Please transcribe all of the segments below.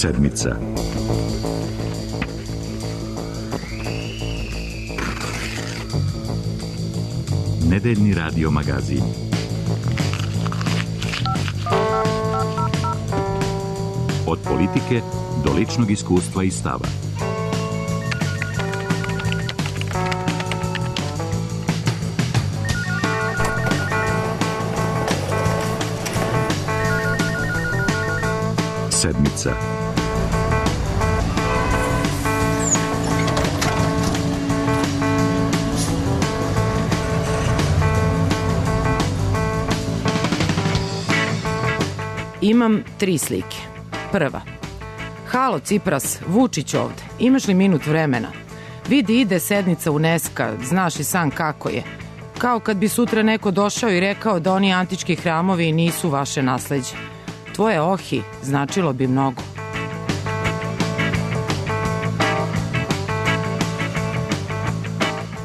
Sedmica. Nedeljni radio magazin. Od politike do ličnog iskustva i stava. Sedmica. Imam 3 slike. Prva. Halo Cipras, Vučić ovde. Imaš li minut vremena? Vidi, ide sednica UNESCO, znaš i sam kako je. Kao kad bi sutra neko došao i rekao da oni antički hramovi nisu vaše nasleđe. Tvoje ohi značilo bi mnogo.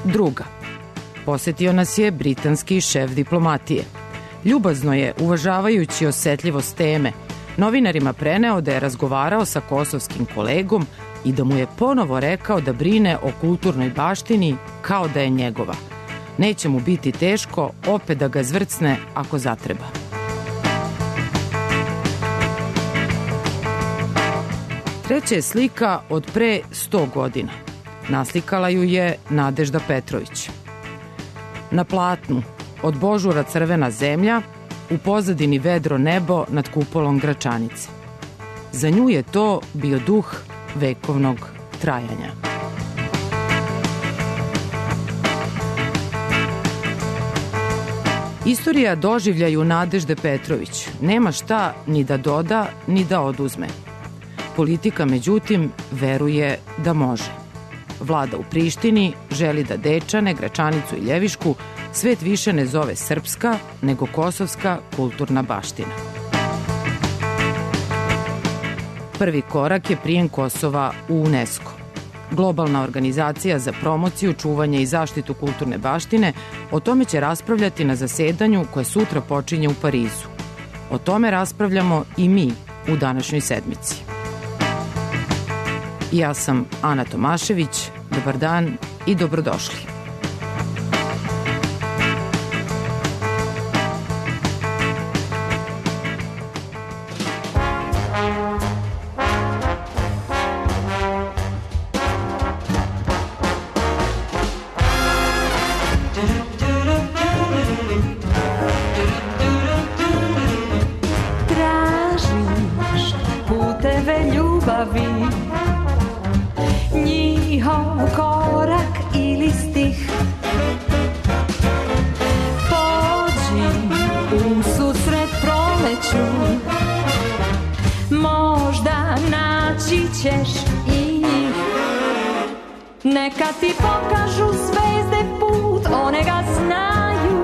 Druga. Posetio nas je britanski šef diplomatije. Ljubazno je, uvažavajući osetljivost teme, novinarima preneo da je razgovarao sa kosovskim kolegom i da mu je ponovo rekao da brine o kulturnoj baštini kao da je njegova. Neće mu biti teško opet da ga zvrcne ako zatreba. Treća je slika od pre 100 godina. Naslikala ju je Nadežda Petrović. Na platnu od Božura crvena zemlja, u pozadini vedro nebo nad kupolom Gračanice. Za nju je to bio duh vekovnog trajanja. Istorija doživljaju Nadežde Petrović nema šta ni da doda, ni da oduzme. Politika, međutim, veruje da može. Vlada u Prištini želi da Dečane, Gračanicu i Ljevišku svet više ne zove srpska, nego kosovska kulturna baština. Prvi korak je prijem Kosova u UNESCO. Globalna organizacija za promociju, čuvanje i zaštitu kulturne baštine o tome će raspravljati na zasedanju koje sutra počinje u Parizu. O tome raspravljamo i mi u današnjoj sedmici. Ja sam Ana Tomašević, dobar dan i dobrodošli. Tražiš puteve ljubavi, njihov korak ili stih. Pođi u susret proleću, možda naći ćeš i njih. Neka ti pokažu zvezde put, one ga znaju.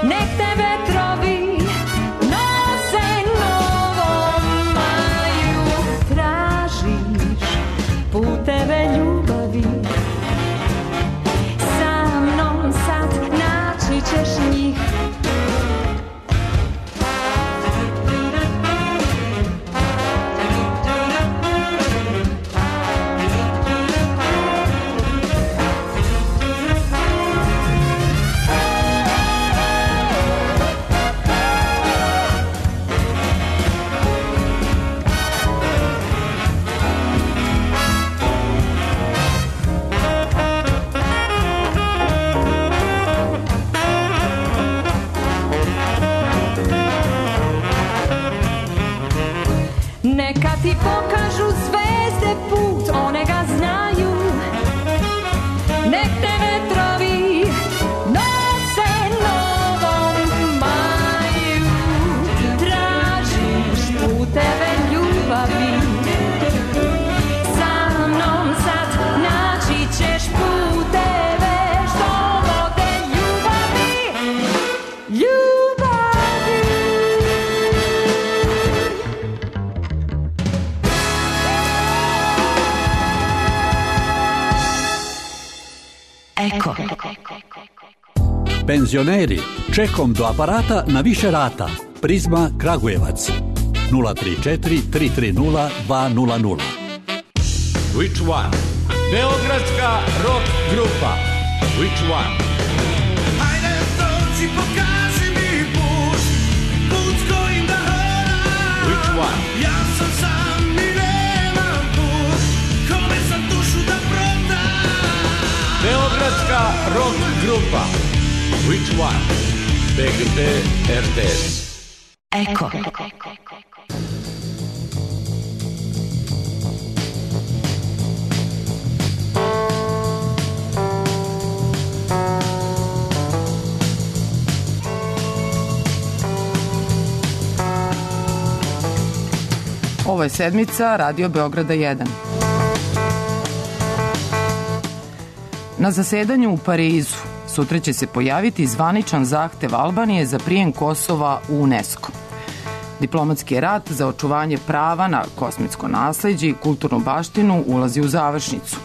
Nek te vetrovi nose novom maju. Tražiš puteve ljubavi, sa mnom sad naći ćeš njih. Neka ti pokažu zvezde put, one ga znaju. Nek te vetrovi nose novom maju. Tražiš puteve ljubavi, sa mnom sad naći ćeš puteve što vode ljubavi. Eko. Penzioneri, čekom do aparata na više rata. Prizma Kragujevac. 034 330 200. Which one? Beogradska rock grupa. Which one? Ajde, dođi, pokaži mi put s kojim da hodam. Which one? Ja sam sam i nemam put, kome sam dušu da prodam. Beogradska rock grupa. Which one? BGP RTS. Eko. Ovo je sedmica Radio Beograda 1. Na zasedanju u Parizu sutra će se pojaviti zvaničan zahtev Albanije za prijem Kosova u UNESCO. Diplomatski rat za očuvanje prava na kosmitsko nasleđe i kulturnu baštinu ulazi u završnicu.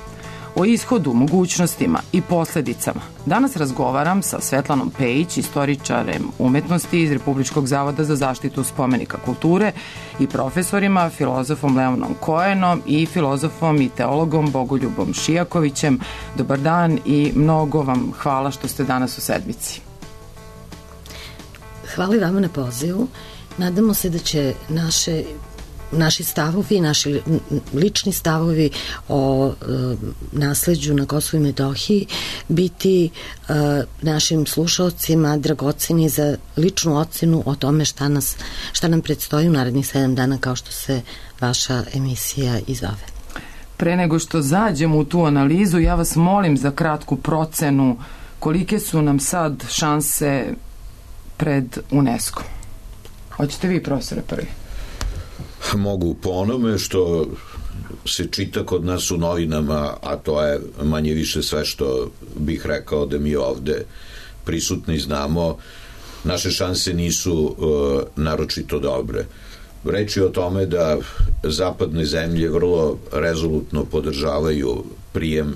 O ishodu, mogućnostima i posledicama danas razgovaram sa Svetlanom Pejić, istoričarem umetnosti iz Republičkog zavoda za zaštitu spomenika kulture i profesorima, filozofom Leonom Kojenom i filozofom i teologom Bogoljubom Šijakovićem. Dobar dan i mnogo vam hvala što ste danas u sedmici. Hvala i vama na pozivu. Nadamo se da će naši stavovi, naši lični stavovi o nasleđu na Kosovu i Metohiji biti našim slušalcima dragoceni za ličnu ocenu o tome šta nam predstoji u narednih 7 dana, kao što se vaša emisija i zove. Pre nego što zađemo u tu analizu, ja vas molim za kratku procenu kolike su nam sad šanse pred UNESCO. Hoćete vi, profesore, prvi? Mogu po onome što se čita kod nas u novinama, a to je manje više sve što bih rekao da mi ovde prisutni znamo, naše šanse nisu naročito dobre. Reč je o tome da zapadne zemlje vrlo rezolutno podržavaju prijem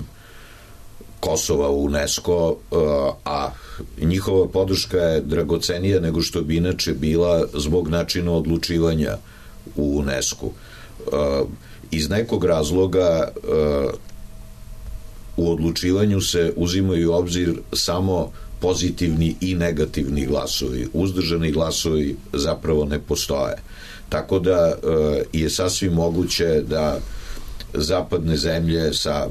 Kosova u UNESCO, a njihova podrška je dragocenija nego što bi inače bila zbog načina odlučivanja u UNESCO. Iz nekog razloga u odlučivanju se uzimaju u obzir samo pozitivni i negativni glasovi. Uzdržani glasovi zapravo ne postoje. Tako da je sasvim moguće da zapadne zemlje sa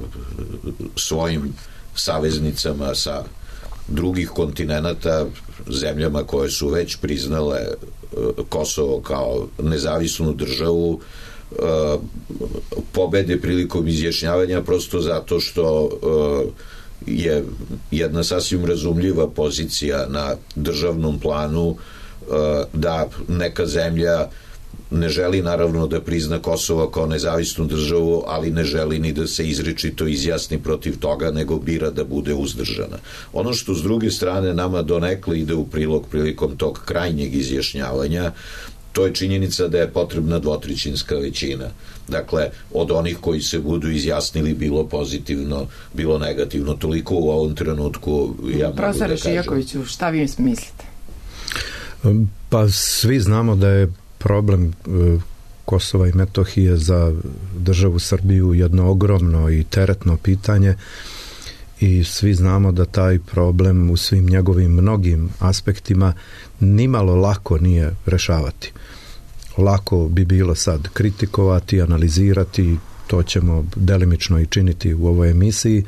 svojim saveznicama sa drugih kontinenata, zemljama koje su već priznale Kosovo kao nezavisnu državu, pobede prilikom izjašnjavanja prosto zato što je jedna sasvim razumljiva pozicija na državnom planu da neka zemlja ne želi naravno da prizna Kosovo kao nezavisnu državu, ali ne želi ni da se izričito izjasni protiv toga, nego bira da bude uzdržana. Ono što s druge strane nama donekle ide u prilog prilikom tog krajnjeg izjašnjavanja, to je činjenica da je potrebna dvotrećinska većina. Dakle, od onih koji se budu izjasnili bilo pozitivno, bilo negativno. Toliko u ovom trenutku ja mogu da kažem. Profesore Šijakoviću, šta vi mislite? Pa svi znamo da je problem Kosova i Metohije za državu Srbiju jedno ogromno i teretno pitanje i svi znamo da taj problem u svim njegovim mnogim aspektima nimalo lako nije rešavati. Lako bi bilo sad kritikovati, analizirati, to ćemo delimično i činiti u ovoj emisiji,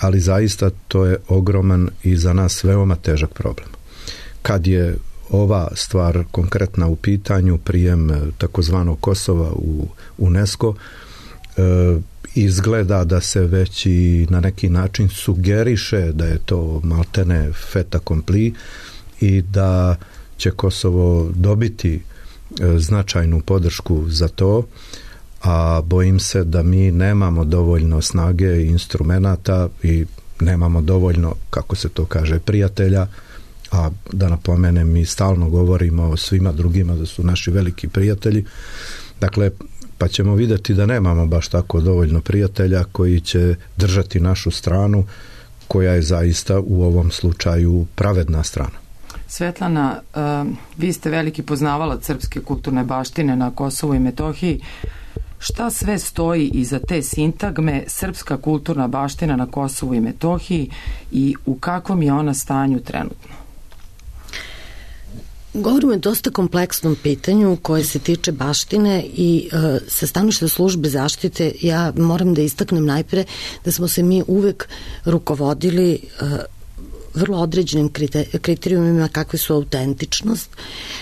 ali zaista to je ogroman i za nas veoma težak problem. Kad je ova stvar konkretna u pitanju, prijem takozvanog Kosova u UNESCO, izgleda da se već i na neki način sugeriše da je to maltene fait accompli i da će Kosovo dobiti značajnu podršku za to, a bojim se da mi nemamo dovoljno snage i instrumenata i nemamo dovoljno, kako se to kaže, prijatelja, a da napomenem, mi stalno govorimo o svima drugima da su naši veliki prijatelji. Dakle, pa ćemo vidjeti da nemamo baš tako dovoljno prijatelja koji će držati našu stranu, koja je zaista u ovom slučaju pravedna strana. Svetlana, vi ste veliki poznavalac srpske kulturne baštine na Kosovu i Metohiji. Šta sve stoji iza te sintagme srpska kulturna baština na Kosovu i Metohiji i u kakvom je ona stanju trenutno? Govorimo o dosta kompleksnom pitanju koje se tiče baštine i sa stanovišta službe zaštite ja moram da istaknem najpre da smo se mi uvek rukovodili vrlo određenim kriterijumima kakve su autentičnost,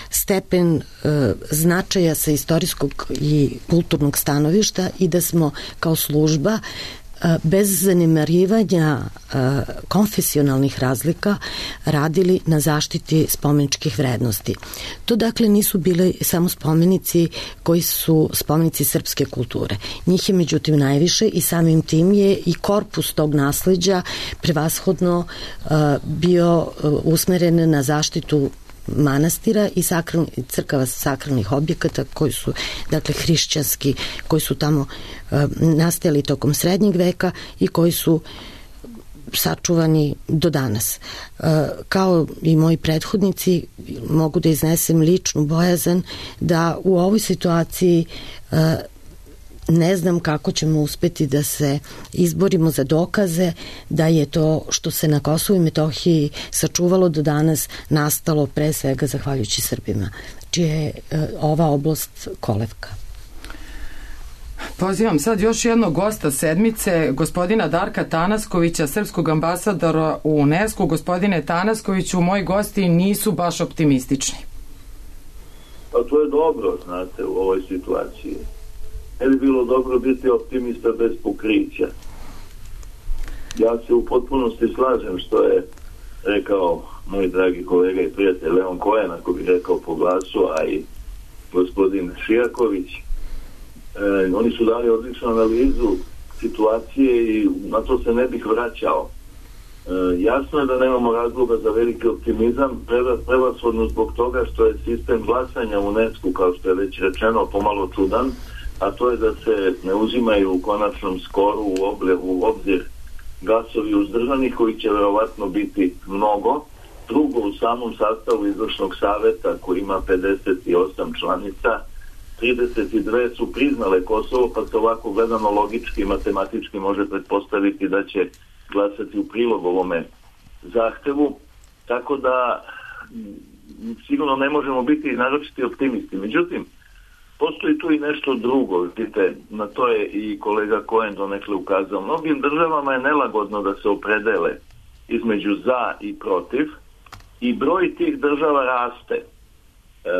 stepen značaja sa istorijskog i kulturnog stanovišta i da smo kao služba bez zanemarivanja konfesionalnih razlika radili na zaštiti spomeničkih vrednosti. To dakle nisu bile samo spomenici koji su spomenici srpske kulture. Njih je međutim najviše i samim tim je i korpus tog nasleđa prevashodno bio usmeren na zaštitu manastira i crkava sakralnih objekata koji su dakle hrišćanski, koji su tamo nastajali tokom srednjeg veka i koji su sačuvani do danas. Kao i moji prethodnici mogu da iznesem ličnu bojazan da u ovoj situaciji ne znam kako ćemo uspeti da se izborimo za dokaze da je to što se na Kosovu i Metohiji sačuvalo do danas nastalo pre svega zahvaljujući Srbima, čija je ova oblast kolevka. Pozivam sad još jednog gosta sedmice, gospodina Darka Tanaskovića, srpskog ambasadora u UNESCO. Gospodine Tanaskoviću, moji gosti nisu baš optimistični. Pa to je dobro, znate, u ovoj situaciji. Ne bi bilo dobro biti optimista bez pokrića. Ja se u potpunosti slažem što je rekao moj dragi kolega i prijatelj Leon Cohen, ako bi rekao po glasu, a i gospodin Šijaković. Oni su dali odličnu analizu situacije i na to se ne bih vraćao. Jasno je da nemamo razloga za veliki optimizam, prevashodno zbog toga što je sistem glasanja u UNESCO, kao što je već rečeno, pomalo čudan, a to je da se ne uzimaju u konačnom skoru u obzir glasovi uzdržanih, koji će verovatno biti mnogo. Drugo, u samom sastavu izvršnog saveta, koji ima 58 članica, 32 su priznale Kosovo, pa se ovako gledano logički i matematički može pretpostaviti da će glasati u prilog ovome zahtevu. Tako da sigurno ne možemo biti naročiti optimisti. Međutim, postoji tu i nešto drugo, vidite, na to je i kolega Cohen donekle ukazao. Mnogim državama je nelagodno da se opredele između za i protiv i broj tih država raste.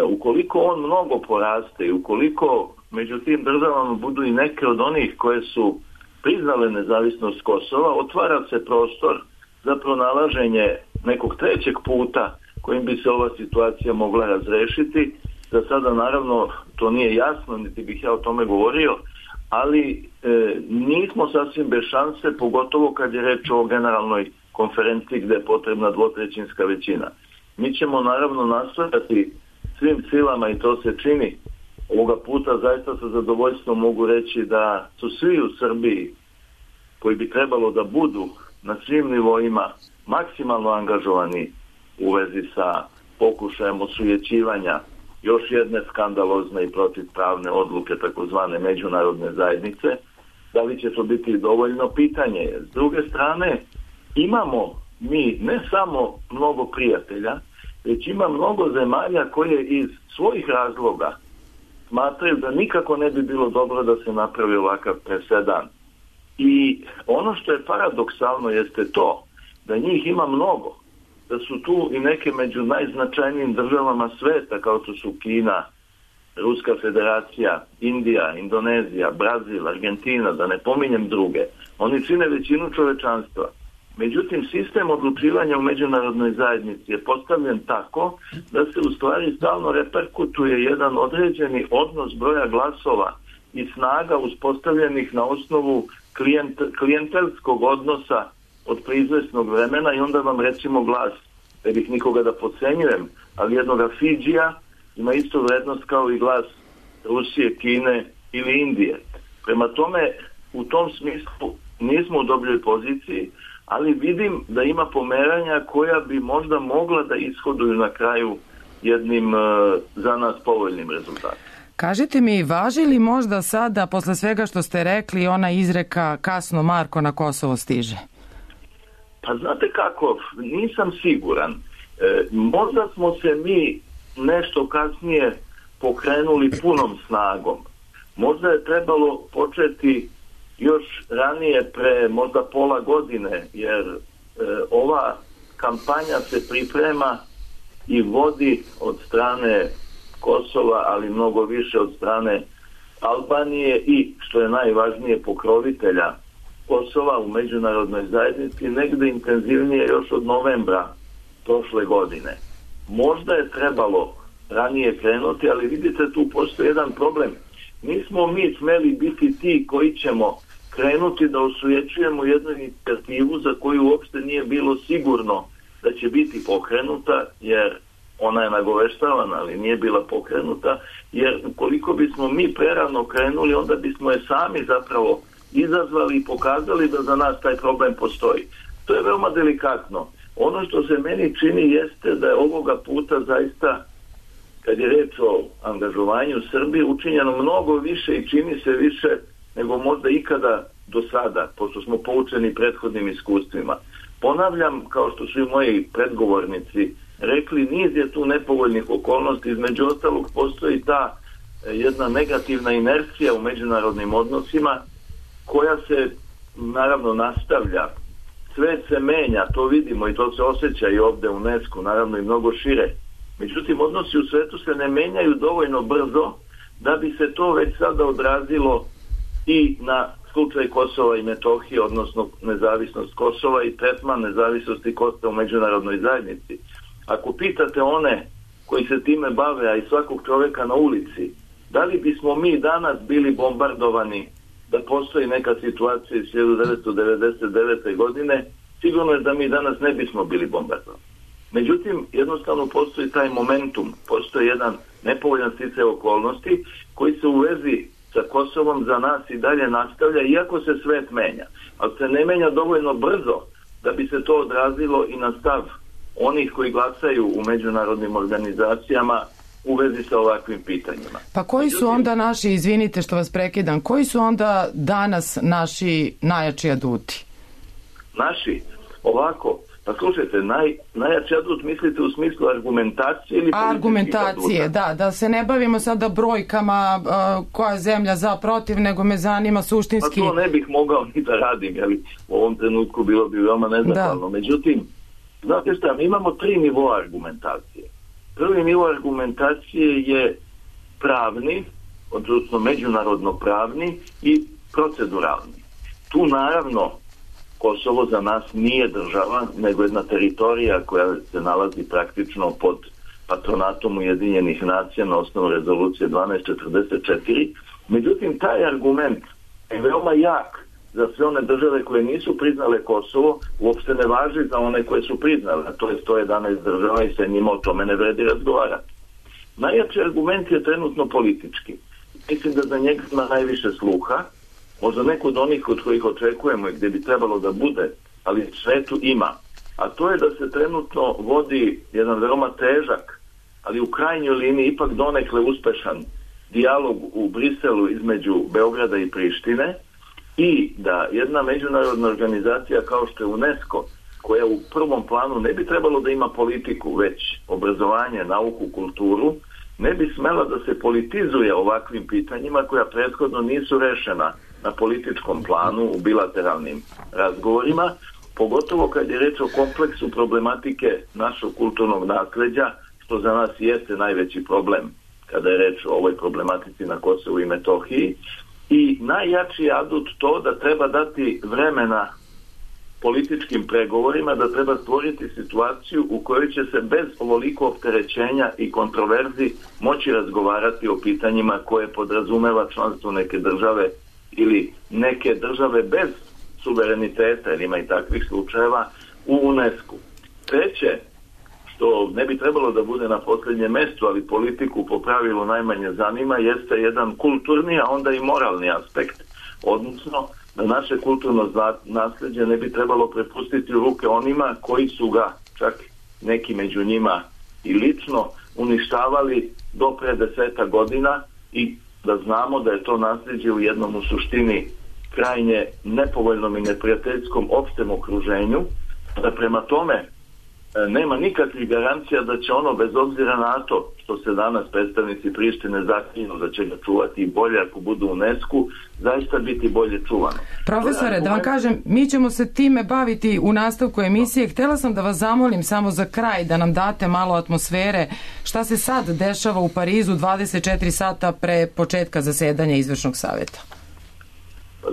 Ukoliko on mnogo poraste i ukoliko među tim državama budu i neke od onih koje su priznale nezavisnost Kosova, otvara se prostor za pronalaženje nekog trećeg puta kojim bi se ova situacija mogla razrešiti. Za sada naravno to nije jasno, niti bih ja o tome govorio, ali nismo sasvim bez šanse, pogotovo kad je reč o generalnoj konferenciji gde je potrebna dvotrećinska većina. Mi ćemo naravno nastojati svim silama i to se čini. Ovoga puta zaista sa zadovoljstvom mogu reći da su svi u Srbiji koji bi trebalo da budu na svim nivoima maksimalno angažovani u vezi sa pokušajem osujećivanja još jedne skandalozne i protivpravne odluke takozvane međunarodne zajednice. Da li će to biti dovoljno pitanje? S druge strane, imamo mi ne samo mnogo prijatelja, već ima mnogo zemalja koje iz svojih razloga smatraju da nikako ne bi bilo dobro da se napravi ovakav presedan. I ono što je paradoksalno jeste to da njih ima mnogo, da su tu i neke među najznačajnijim državama sveta kao što su Kina, Ruska federacija, Indija, Indonezija, Brazil, Argentina, da ne pominjem druge. Oni čine većinu čovečanstva. Međutim, sistem odlučivanja u međunarodnoj zajednici je postavljen tako da se u stvari stalno reperkutuje jedan određeni odnos broja glasova i snaga uspostavljenih na osnovu klijentelskog odnosa od preizvesnog vremena i onda vam recimo glas, ne bih nikoga da podcenjujem, ali jednoga Fidžija ima istu vrednost kao i glas Rusije, Kine ili Indije. Prema tome, u tom smislu nismo u dobroj poziciji, ali vidim da ima pomeranja koja bi možda mogla da ishoduju na kraju jednim za nas povoljnim rezultatom. Kažite mi, važi li možda sada, posle svega što ste rekli, ona izreka kasno Marko na Kosovo stiže? Pa znate kako, nisam siguran. Možda smo se mi nešto kasnije pokrenuli punom snagom. Možda je trebalo početi još ranije, pre možda pola godine, jer ova kampanja se priprema i vodi od strane Kosova, ali mnogo više od strane Albanije i, što je najvažnije, pokrovitelja Kosova u međunarodnoj zajednici, negde intenzivnije još od novembra prošle godine. Možda je trebalo ranije krenuti, ali vidite, tu postoji jedan problem. Nismo mi smeli biti ti koji ćemo krenuti da osujećujemo jednu inicijativu za koju uopšte nije bilo sigurno da će biti pokrenuta, jer ona je nagoveštavana, ali nije bila pokrenuta, jer ukoliko bismo mi prerano krenuli, onda bismo je sami zapravo izazvali i pokazali da za nas taj problem postoji. To je veoma delikatno. Ono što se meni čini jeste da je ovoga puta zaista, kad je reč o angažovanju Srbije, učinjeno mnogo više i čini se više nego možda ikada do sada, pošto smo poučeni prethodnim iskustvima. Ponavljam, kao što su i moji predgovornici rekli, niz je tu nepovoljnih okolnosti, između ostalog postoji ta jedna negativna inercija u međunarodnim odnosima koja se naravno nastavlja. Svet se menja, to vidimo i to se osjeća i ovde u UNESCO, naravno i mnogo šire. Međutim, odnosi u svetu se ne menjaju dovoljno brzo da bi se to već sada odrazilo i na slučaj Kosova i Metohije, odnosno nezavisnost Kosova i tretman nezavisnosti Kosova u međunarodnoj zajednici. Ako pitate one koji se time bave, a i svakog čoveka na ulici, da li bismo mi danas bili bombardovani da postoji neka situacija iz 1999. godine, sigurno je da mi danas ne bismo bili bombardovani. Međutim, jednostavno postoji taj momentum, postoji jedan nepovoljan sticaj okolnosti koji se u vezi sa Kosovom za nas i dalje nastavlja, iako se svet menja. Ali se ne menja dovoljno brzo da bi se to odrazilo i na stav onih koji glasaju u međunarodnim organizacijama u vezi sa ovakvim pitanjima. Pa koji su onda naši, izvinite što vas prekidam, koji su onda danas naši najjači aduti? Naši? Ovako, pa slušajte, najjači adut mislite u smislu argumentacije ili argumentacije, da se ne bavimo sada brojkama koja je zemlja za protiv, nego me zanima suštinski. Pa to ne bih mogao ni da radim, jer u ovom trenutku bilo bi veoma nezahvalno. Međutim, znate šta, mi imamo 3 nivoa argumentacije. Prvi nivo argumentacije je pravni, odnosno međunarodno pravni i proceduralni. Tu naravno Kosovo za nas nije država, nego jedna teritorija koja se nalazi praktično pod patronatom Ujedinjenih nacija na osnovu rezolucije 1244. Međutim, taj argument je veoma jak za sve one države koje nisu priznale Kosovo, uopšte ne važi za one koje su priznale, a to je 111 država i sa njima o tome ne vredi razgovarati. Najjači argument je trenutno politički. Mislim da za njega ima najviše sluha, možda neko od onih od kojih očekujemo i gdje bi trebalo da bude, ali svetu ima. A to je da se trenutno vodi jedan veoma težak, ali u krajnjoj liniji ipak donekle uspešan dijalog u Briselu između Beograda i Prištine, i da jedna međunarodna organizacija kao što je UNESCO, koja u prvom planu ne bi trebalo da ima politiku, već obrazovanje, nauku, kulturu, ne bi smela da se politizuje ovakvim pitanjima koja prethodno nisu rešena na političkom planu u bilateralnim razgovorima, pogotovo kad je reč o kompleksu problematike našog kulturnog nasleđa, što za nas jeste najveći problem kada je reč o ovoj problematici na Kosovu i Metohiji. I najjači adut to da treba dati vremena političkim pregovorima, da treba stvoriti situaciju u kojoj će se bez ovoliko opterećenja i kontroverzi moći razgovarati o pitanjima koje podrazumeva članstvo neke države ili neke države bez suvereniteta, jer ima i takvih slučajeva, u UNESCO. Treće, što ne bi trebalo da bude na posljednjem mestu, ali politiku po pravilu najmanje zanima, jeste jedan kulturni, a onda i moralni aspekt, odnosno da naše kulturno nasleđe ne bi trebalo prepustiti u ruke onima koji su ga, čak neki među njima i lično, uništavali do pre 10 godina, i da znamo da je to nasleđe u jednom u suštini krajnje nepovoljnom i neprijateljskom opštem okruženju, da prema tome nema nikakvih garancija da će ono, bez obzira na to što se danas predstavnici Prištine zaklinju da će ga čuvati bolje ako budu u UNESCO, zaista biti bolje čuvano. Profesore, da vam kažem, mi ćemo se time baviti u nastavku emisije. Htela sam da vas zamolim samo za kraj da nam date malo atmosfere šta se sad dešava u Parizu 24 sata pre početka zasedanja izvršnog saveta.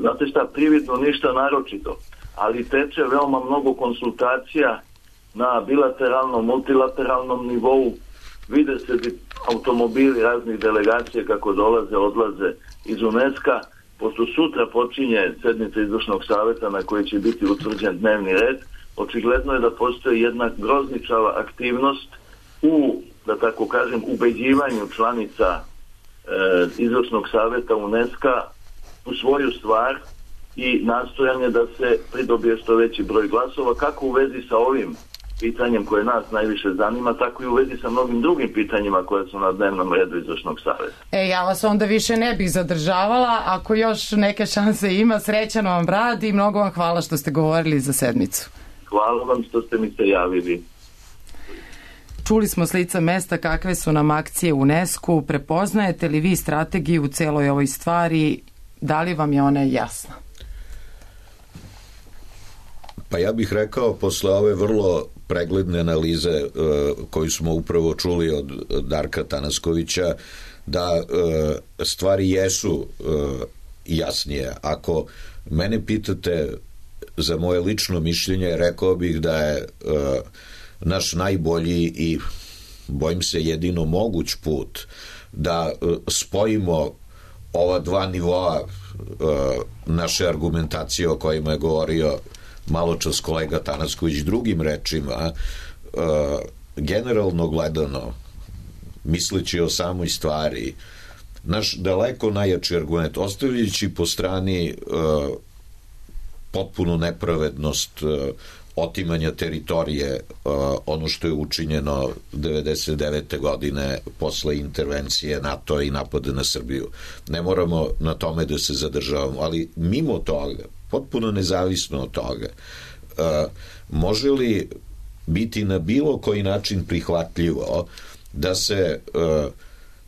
Znate šta, prividno ništa naročito, ali teče veoma mnogo konsultacija na bilateralnom, multilateralnom nivou. Vide se automobili raznih delegacija kako dolaze, odlaze iz UNESCO-a. Pošto sutra počinje sednica izvršnog saveta na kojoj će biti utvrđen dnevni red, očigledno je da postoji jedna grozničava aktivnost u, da tako kažem, ubeđivanju članica izvršnog saveta UNESCO-a u svoju stvar i nastojanje da se pridobije što veći broj glasova, kako u vezi sa ovim pitanjem koje nas najviše zanima, tako i u vezi sa mnogim drugim pitanjima koje su na dnevnom redu izvršnog saveta. Ja vas onda više ne bih zadržavala. Ako još neke šanse ima, srećan vam rad i mnogo vam hvala što ste govorili za sedmicu. Hvala vam što ste mi se javili. Čuli smo s lica mesta kakve su nam akcije UNESCO. Prepoznajete li vi strategiju u celoj ovoj stvari? Da li vam je ona jasna? Pa ja bih rekao, posle ove vrlo pregledne analize koju smo upravo čuli od Darka Tanaskovića, da stvari jesu jasnije. Ako mene pitate za moje lično mišljenje, rekao bih da je naš najbolji i bojim se jedino moguć put da spojimo ova dva nivoa naše argumentacije o kojima je govorio malo čas kolega Tanasković. Drugim rečima, generalno gledano, misleći o samoj stvari, naš daleko najjači argument, ostavljajući po strani potpunu nepravednost otimanja teritorije, ono što je učinjeno 99. godine posle intervencije NATO i napada na Srbiju. Ne moramo na tome da se zadržavamo, ali mimo toga, potpuno nezavisno od toga, može li biti na bilo koji način prihvatljivo da se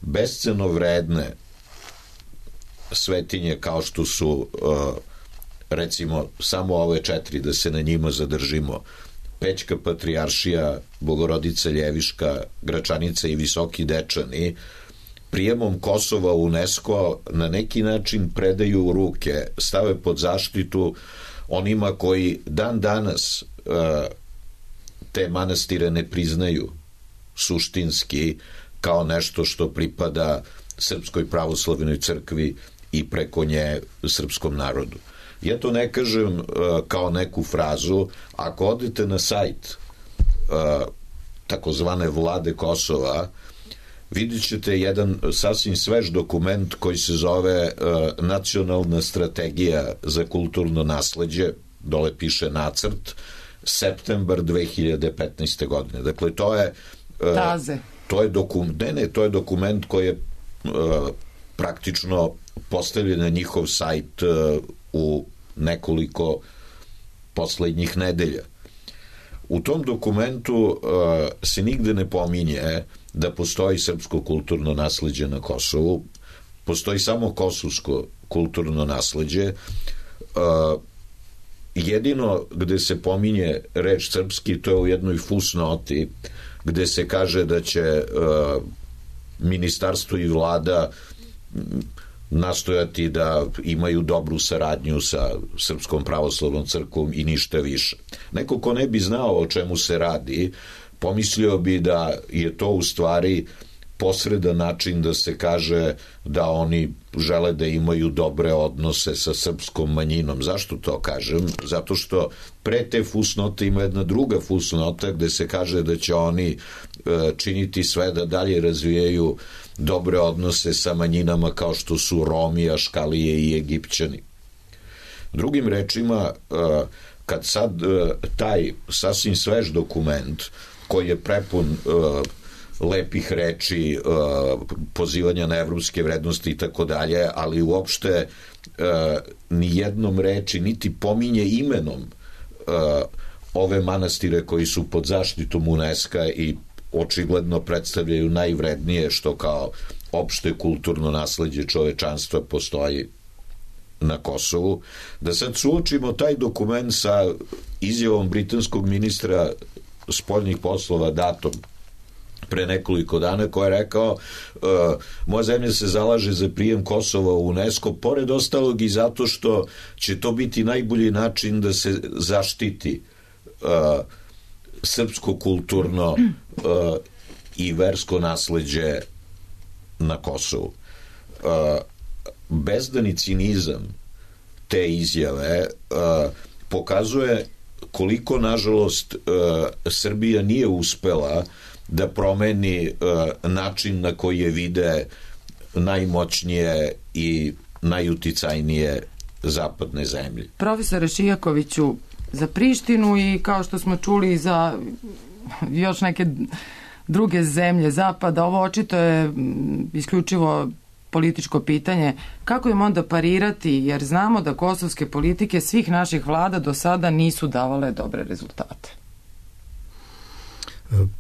besceno vredne svetinje kao što su recimo samo ove 4, da se na njima zadržimo: Pećka patrijaršija, Bogorodica Ljeviška, Gračanica i Visoki Dečani, prijemom Kosova u UNESCO na neki način predaju u ruke, stave pod zaštitu onima koji dan danas te manastire ne priznaju suštinski kao nešto što pripada Srpskoj pravoslavnoj crkvi i preko nje srpskom narodu. Ja to ne kažem kao neku frazu. Ako odete na sajt takozvane vlade Kosova, vidjet ćete jedan sasvim svež dokument koji se zove Nacionalna strategija za kulturno nasleđe, dole piše nacrt, septembar 2015. godine. Dakle, to je to je dokument koji je praktično postavljen na njihov sajt u nekoliko poslednjih nedelja. U tom dokumentu se nigde ne pominje da postoji srpsko kulturno nasleđe na Kosovu. Postoji samo kosovsko kulturno nasleđe. Jedino gde se pominje reč srpski, to je u jednoj fusnoti gde se kaže da će ministarstvo i vlada nastojati da imaju dobru saradnju sa Srpskom pravoslavnom crkvom i ništa više. Neko ko ne bi znao o čemu se radi, pomislio bi da je to u stvari posredan način da se kaže da oni žele da imaju dobre odnose sa srpskom manjinom. Zašto to kažem? Zato što pre te fusnote ima jedna druga fusnota gde se kaže da će oni činiti sve da dalje razvijaju dobre odnose sa manjinama kao što su Romi, Aškalije i Egipćani. Drugim rečima, kad sad taj sasvim svež dokument koji je prepun lepih reči, pozivanja na evropske vrednosti i tako dalje, ali uopšte ni jednom reči niti pominje imenom ove manastire koji su pod zaštitom UNESCO i očigledno predstavljaju najvrednije što kao opšte kulturno nasleđe čovečanstva postoji na Kosovu, da sad suočimo taj dokument sa izjavom britanskog ministra spoljnih poslova datom pre nekoliko dana, koja je rekao moja zemlja se zalaže za prijem Kosova u UNESCO, pored ostalog i zato što će to biti najbolji način da se zaštiti srpsko kulturno i versko nasleđe na Kosovu. Bezdani cinizam te izjave pokazuje koliko, nažalost, Srbija nije uspela da promeni način na koji je vide najmoćnije i najuticajnije zapadne zemlje. Profesore Šijakoviću, za Prištinu i kao što smo čuli za još neke druge zemlje zapada, ovo očito je isključivo političko pitanje. Kako im onda parirati, jer znamo da kosovske politike svih naših vlada do sada nisu davale dobre rezultate?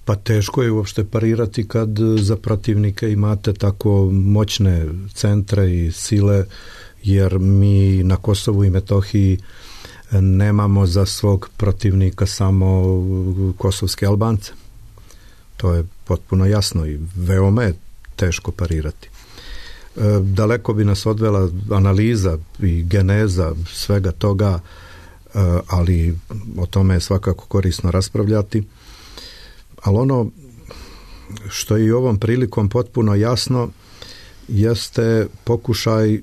Pa teško je uopšte parirati kad za protivnike imate tako moćne centre i sile, jer mi na Kosovu i Metohiji nemamo za svog protivnika samo kosovske Albance. To je potpuno jasno i veoma je teško parirati. Daleko bi nas odvela analiza i geneza svega toga, ali o tome je svakako korisno raspravljati. Ali ono što je i ovom prilikom potpuno jasno jeste pokušaj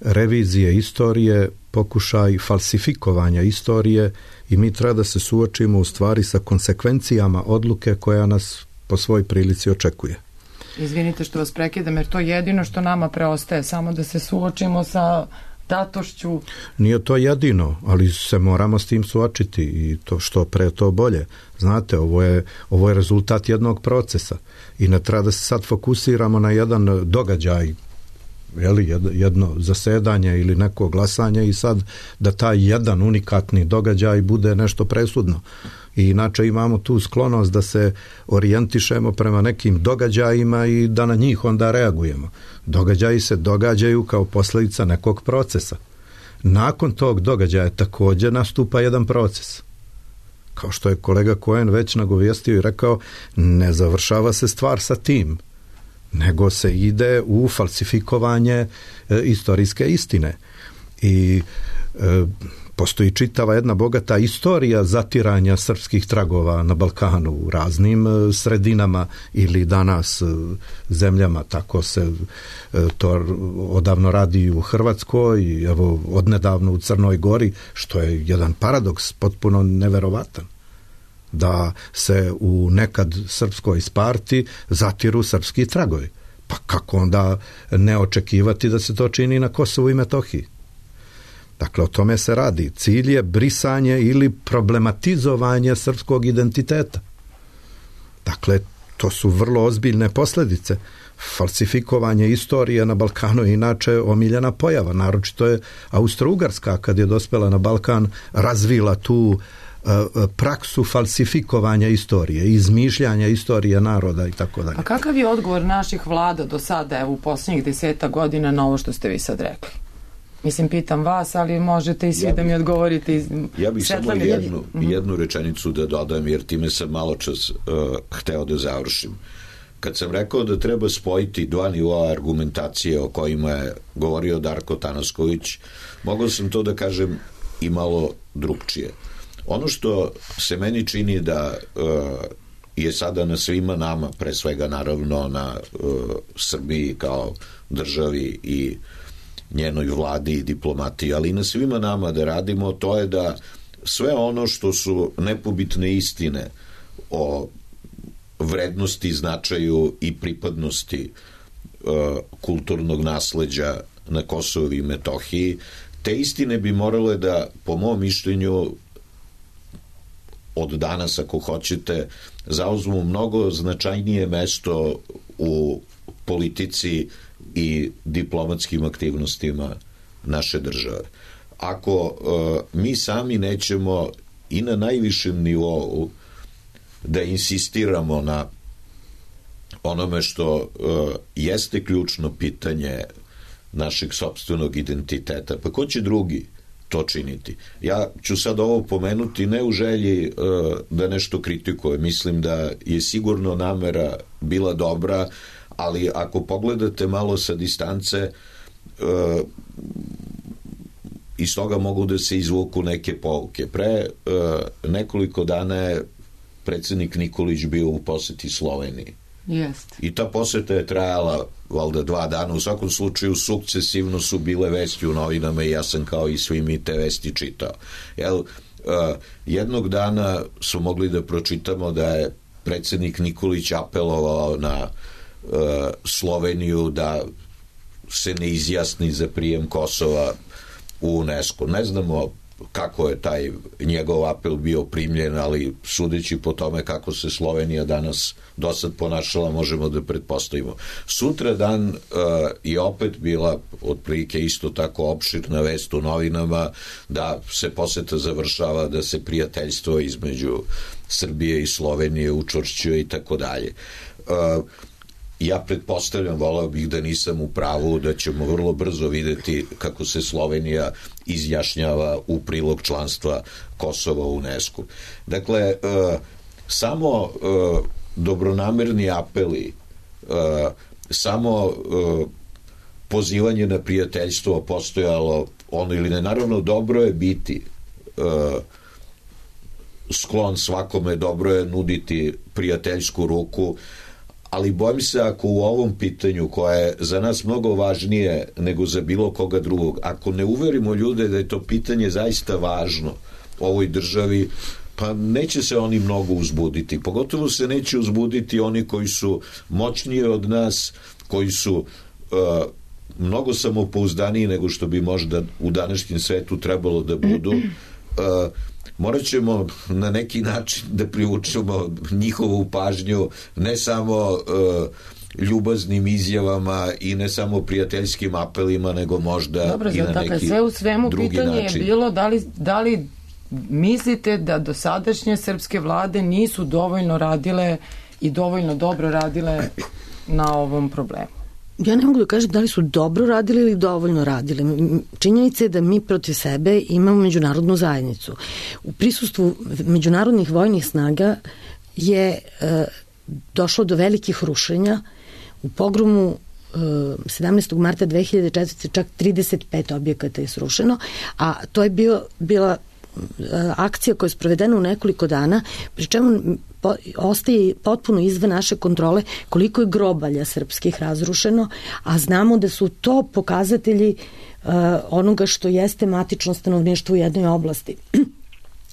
revizije istorije, pokušaj falsifikovanja istorije i mi treba da se suočimo u stvari sa konsekvencijama odluke koja nas po svoj prilici očekuje. Izvinite što vas prekidam, jer to je jedino što nama preostaje, samo da se suočimo sa datošću. Nije to jedino, ali se moramo s tim suočiti i to što pre to bolje. Znate, ovo je rezultat jednog procesa i ne treba da se sad fokusiramo na jedan događaj, jedno zasedanje ili neko glasanje i sad da taj jedan unikatni događaj bude nešto presudno. I inače imamo tu sklonost da se orijentišemo prema nekim događajima i da na njih onda reagujemo. Događaji se događaju kao posljedica nekog procesa. Nakon tog događaja također nastupa jedan proces. Kao što je kolega Cohen već nagovijestio i rekao, ne završava se stvar sa tim, nego se ide u falsifikovanje istorijske istine. I postoji čitava jedna bogata istorija zatiranja srpskih tragova na Balkanu u raznim sredinama ili danas zemljama, tako se to odavno radi u Hrvatskoj i evo odnedavno u Crnoj Gori, što je jedan paradoks potpuno neverovatan, da se u nekad srpskoj Sparti zatiru srpski tragovi. Pa kako onda ne očekivati da se to čini na Kosovu i Metohiji? Dakle, o tome se radi. Cilj je brisanje ili problematizovanje srpskog identiteta. Dakle, to su vrlo ozbiljne posljedice. Falsifikovanje istorije na Balkanu je inače omiljena pojava. Naročito je Austro-Ugarska, kad je dospela na Balkan, razvila tu praksu falsifikovanja istorije, izmišljanja istorije naroda i tako dalje. A kakav je odgovor naših vlada do sada, u posljednjih 10 godina na ovo što ste vi sad rekli? Mislim, pitam vas, ali možete i svi da mi odgovorite. Ja bih samo jednu rečenicu da dodam, jer time sam malo čas hteo da završim. Kad sam rekao da treba spojiti dva nivoa argumentacije o kojima je govorio Darko Tanasković, mogao sam to da kažem i malo drugčije. Ono što se meni čini da je sada na svima nama, pre svega naravno na Srbiji kao državi i njenoj vladi i diplomatiji, ali i na svima nama da radimo, to je da sve ono što su nepobitne istine o vrednosti, značaju i pripadnosti kulturnog nasleđa na Kosovu i Metohiji, te istine bi morale da, po mom mišljenju, od danas, ako hoćete, zauzmu mnogo značajnije mesto u politici i diplomatskim aktivnostima naše države. Ako mi sami nećemo i na najvišem nivou da insistiramo na onome što jeste ključno pitanje našeg sopstvenog identiteta, pa ko će drugi to činiti? Ja ću sad ovo pomenuti ne u želji da nešto kritikujem, mislim da je sigurno namera bila dobra, ali ako pogledate malo sa distance, iz toga mogu da se izvuku neke pouke. Pre nekoliko dana je predsednik Nikolić bio u poseti Sloveniji. Jeste. I ta poseta je trajala valjda 2 dana, u svakom slučaju sukcesivno su bile vesti u novinama i ja sam kao i svi mi te vesti čitao. Jednog dana su mogli da pročitamo da je predsednik Nikolić apelovao na Sloveniju da se ne izjasni za prijem Kosova u UNESCO. Ne znamo kako je taj njegov apel bio primljen, ali sudeći po tome kako se Slovenija danas dosad ponašala, možemo da pretpostavimo. Sutra dan je opet bila otprilike isto tako opširna vest u novinama da se poseta završava, da se prijateljstvo između Srbije i Slovenije učvršćuje i tako dalje. Ja pretpostavljam, voleo bih da nisam u pravu, da ćemo vrlo brzo videti kako se Slovenija izjašnjava u prilog članstva Kosova u UNESCO. Dakle, samo dobronamerni apeli, samo pozivanje na prijateljstvo postojalo ono ili ne. Naravno, dobro je biti sklon svakome, dobro je nuditi prijateljsku ruku, ali bojim se ako u ovom pitanju, koje je za nas mnogo važnije nego za bilo koga drugog, ako ne uverimo ljude da je to pitanje zaista važno ovoj državi, pa neće se oni mnogo uzbuditi. Pogotovo se neće uzbuditi oni koji su moćniji od nas, koji su mnogo samopouzdaniji nego što bi možda u današnjem svetu trebalo da budu. Morat ćemo na neki način da privučemo njihovu pažnju ne samo ljubaznim izjavama i ne samo prijateljskim apelima, nego možda dobro, i na neki drugi način. Sve u svemu pitanje je bilo da li mislite da dosadašnje srpske vlade nisu dovoljno radile i dovoljno dobro radile na ovom problemu? Ja ne mogu da kažem da li su dobro radili ili dovoljno radili. Činjenica je da mi protiv sebe imamo međunarodnu zajednicu. U prisustvu međunarodnih vojnih snaga je došlo do velikih rušenja. U pogromu 17. marta 2004. čak 35 objekata je srušeno, a to je bila akcija koja je sprovedena u nekoliko dana, pri čemu ostaje potpuno izvan naše kontrole koliko je grobalja srpskih razrušeno, a znamo da su to pokazatelji onoga što jeste matično stanovništvo u jednoj oblasti.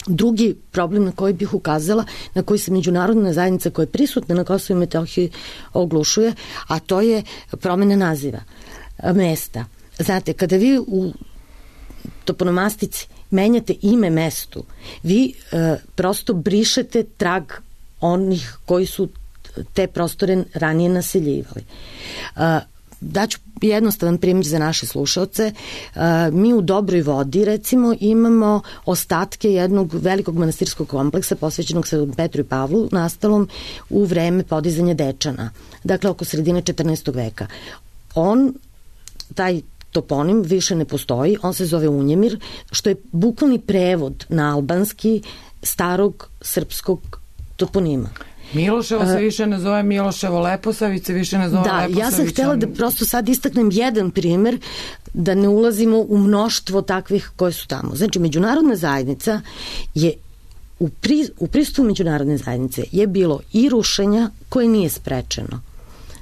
Drugi problem na koji bih ukazala, na koji se međunarodna zajednica koja je prisutna na Kosovu i Metohiji oglušuje, a to je promena naziva mesta. Znate, kada vi u toponomastici menjate ime mestu, vi prosto brišete trag onih koji su te prostore ranije naseljivali. Daću jednostavan primjer za naše slušalce. Mi u Dobroj Vodi, recimo, imamo ostatke jednog velikog manastirskog kompleksa posvećenog Svetom Petru i Pavlu, nastalom u vreme podizanja Dečana, dakle oko sredine 14. veka. Taj toponim više ne postoji, on se zove Unjemir, što je bukvalni prevod na albanski starog srpskog toponima. Miloševo se više ne zove Miloševo, Leposavić se više ne zove Leposavić. Da, ja sam htjela da prosto sad istaknem jedan primer, da ne ulazimo u mnoštvo takvih koje su tamo. Znači, međunarodna zajednica je u pristupu međunarodne zajednice je bilo i rušenja koje nije sprečeno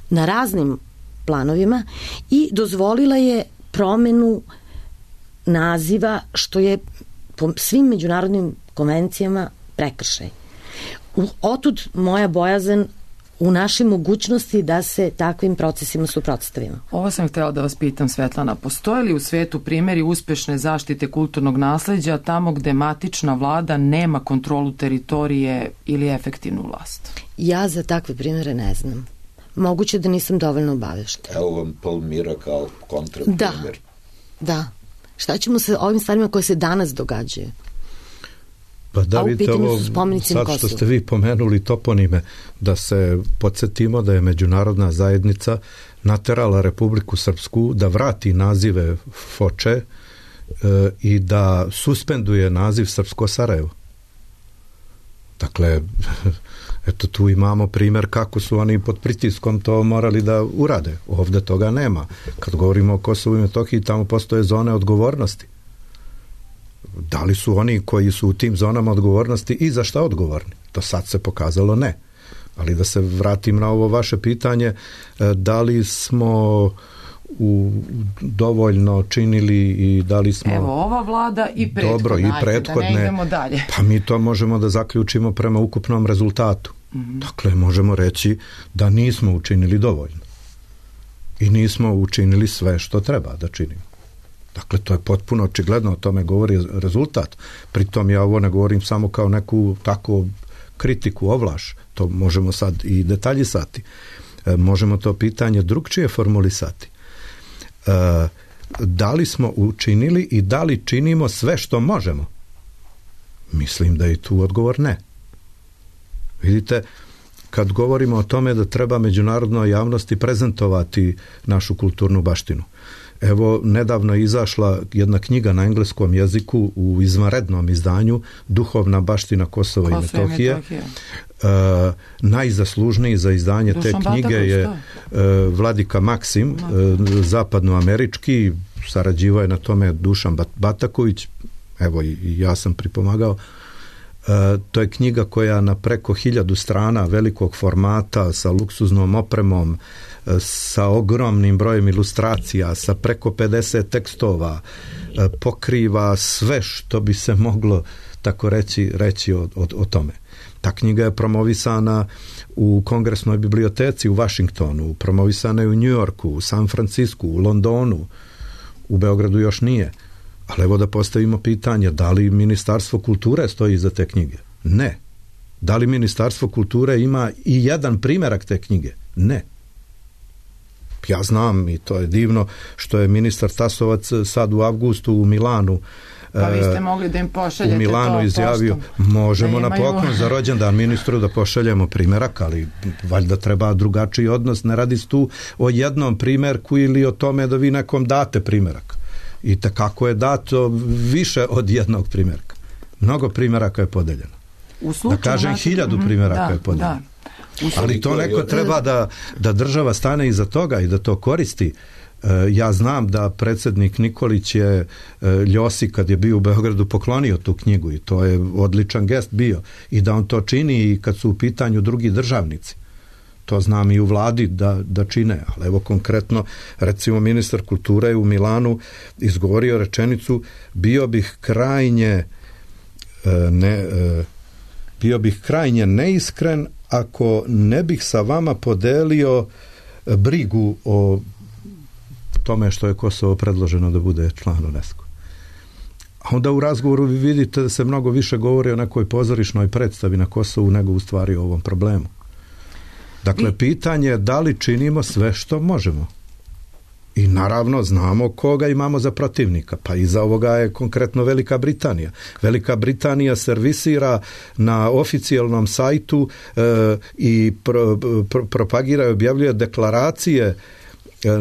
na raznim planovima i dozvolila je promenu naziva, što je po svim međunarodnim konvencijama prekršaj. Otud moja bojazan u našoj mogućnosti da se takvim procesima suprotstavimo. Ovo sam htjela da vas pitam, Svetlana, postoje li u svetu primjeri uspešne zaštite kulturnog nasleđa tamo gde matična vlada nema kontrolu teritorije ili efektivnu vlast? Ja za takve primjere ne znam. Moguće da nisam dovoljno obaveštena. Evo vam Palmira kao kontraprimjer. Da. Šta ćemo sa ovim stvarima koje se danas događaju? Pa da vidite ovo, sad što ste vi pomenuli toponime, da se podsjetimo da je međunarodna zajednica naterala Republiku Srpsku da vrati nazive Foče i da suspenduje naziv Srpsko Sarajevo. Dakle, eto tu imamo primjer kako su oni pod pritiskom to morali da urade. Ovdje toga nema. Kad govorimo o Kosovu i Metohiji, tamo postoje zone odgovornosti. Da li su oni koji su u tim zonama odgovornosti i za šta odgovorni? Do sad se pokazalo ne. Ali da se vratim na ovo vaše pitanje, da li smo dovoljno činili i da li smo... Evo, ova vlada i prethodne, dobro, i prethodne, da ne idemo dalje. Pa mi to možemo da zaključimo prema ukupnom rezultatu. Dakle, možemo reći da nismo učinili dovoljno. I nismo učinili sve što treba da činimo. Dakle, to je potpuno očigledno, o tome govori rezultat. Pritom ja ovo ne govorim samo kao neku tako kritiku, ovlaš. To možemo sad i detaljisati. Možemo to pitanje drugčije formulisati. Da li smo učinili i da li činimo sve što možemo? Mislim da je tu odgovor ne. Vidite, kad govorimo o tome da treba međunarodnoj javnosti prezentovati našu kulturnu baštinu. Evo, nedavno je izašla jedna knjiga na engleskom jeziku u izvanrednom izdanju Duhovna baština Kosova i Metohije. Najzaslužniji za izdanje te knjige je Vladika Maksim, zapadnoamerički, sarađivao je na tome Dušan Bataković, evo i ja sam pripomagao. To je knjiga koja na preko 1000 strana velikog formata, sa luksuznom opremom, sa ogromnim brojem ilustracija, sa preko 50 tekstova, pokriva sve što bi se moglo tako reći o tome. Ta knjiga je promovisana u Kongresnoj biblioteci u Vašingtonu, promovisana je u New Yorku, u San Francisku, u Londonu, u Beogradu još nije. Ali evo da postavimo pitanje, da li Ministarstvo kulture stoji iza te knjige? Ne. Da li Ministarstvo kulture ima i jedan primjerak te knjige? Ne. Ja znam, i to je divno, što je ministar Tasovac sad u avgustu u Milanu pa vi ste mogli da im pošaljete u Milanu to izjavio, možemo na poklon za rođendan ministru da pošaljemo primjerak, ali valjda treba drugačiji odnos, ne radi se tu o jednom primjerku ili o tome da vi nekom date primjerak. I kako je dato više od jednog primjerka. Mnogo primjeraka je podeljeno. Da kažem, 1000 primjeraka je podeljeno. Ali to neko treba da država stane iza toga i da to koristi. Ja znam da predsjednik Nikolić je Ljosi kad je bio u Beogradu poklonio tu knjigu i to je odličan gest bio. I da on to čini i kad su u pitanju drugi državnici. To znam i u vladi da čine, ali evo konkretno, recimo ministar kulture je u Milanu izgovorio rečenicu bio bih krajnje neiskren ako ne bih sa vama podelio brigu o tome što je Kosovo predloženo da bude član UNESCO. A onda u razgovoru vi vidite da se mnogo više govori o nekoj pozorišnoj predstavi na Kosovu nego u stvari o ovom problemu. Dakle, pitanje je da li činimo sve što možemo. I naravno znamo koga imamo za protivnika. Pa iza ovoga je konkretno Velika Britanija. Velika Britanija servisira na oficijalnom sajtu i propagira i objavljuje deklaracije,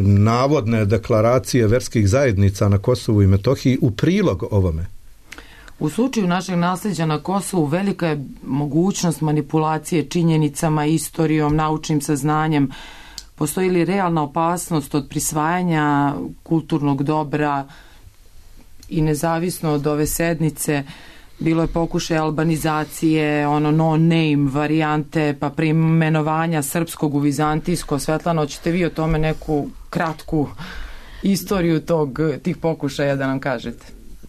navodne deklaracije verskih zajednica na Kosovu i Metohiji u prilog ovome. U slučaju našeg nasljeđa na Kosovu velika je mogućnost manipulacije činjenicama, istorijom, naučnim saznanjem. Postoji li realna opasnost od prisvajanja kulturnog dobra i nezavisno od ove sednice bilo je pokušaj albanizacije, no-name varijante, pa preimenovanja srpskog u vizantijsko. Svetlana, hoćete vi o tome neku kratku istoriju tih pokušaja da nam kažete?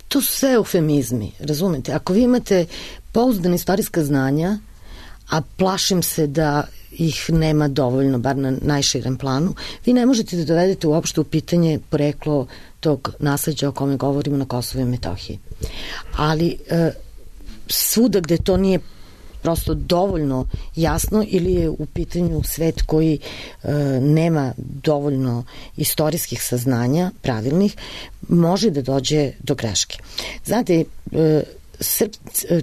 To su sve eufemizmi, razumete? Ako vi imate pouzdana istorijska znanja, a plašim se da ih nema dovoljno, bar na najširem planu, vi ne možete da dovedete uopšte u pitanje poreklo tog nasleđa o kome govorimo na Kosovu i Metohiji. Ali svuda gde to nije prosto dovoljno jasno ili je u pitanju svet koji nema dovoljno istorijskih saznanja pravilnih, može da dođe do greške. Znate,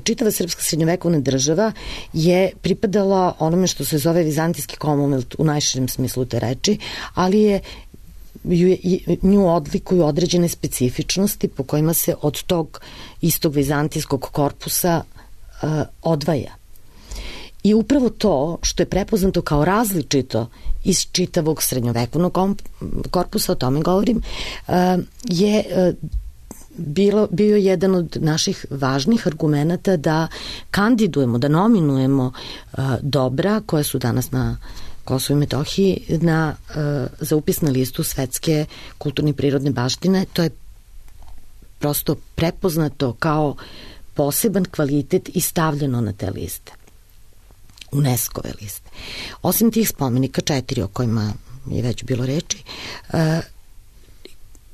čitava srpska srednjovekovna država je pripadala onome što se zove Vizantijski Commonwealth u najširem smislu te reči, ali je nju odlikuju određene specifičnosti po kojima se od tog istog vizantijskog korpusa odvaja. I upravo to što je prepoznato kao različito iz čitavog srednjovekovnog korpusa, o tome govorim, je bio jedan od naših važnih argumenata da kandidujemo, da nominujemo dobra koja su danas na Kosovu i Metohiji za upis na listu svetske kulturne i prirodne baštine. To je prosto prepoznato kao poseban kvalitet i stavljeno na te liste, UNESCO-ve liste. Osim tih spomenika, 4 o kojima je već bilo reči,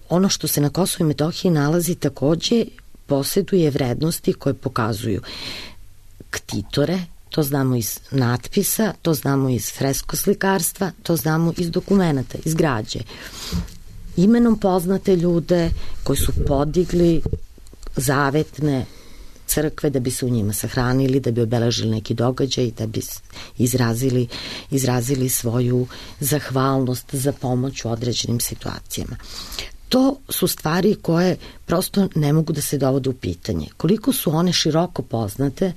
ono što se na Kosovu i Metohiji nalazi takođe poseduje vrednosti koje pokazuju ktitore, to znamo iz natpisa, to znamo iz freskoslikarstva, to znamo iz dokumenata, iz građe. Imenom poznate ljude koji su podigli zavetne crkve da bi se u njima sahranili, da bi obeležili neki događaj, da bi izrazili svoju zahvalnost za pomoć u određenim situacijama. To su stvari koje prosto ne mogu da se dovode u pitanje. Koliko su one široko poznate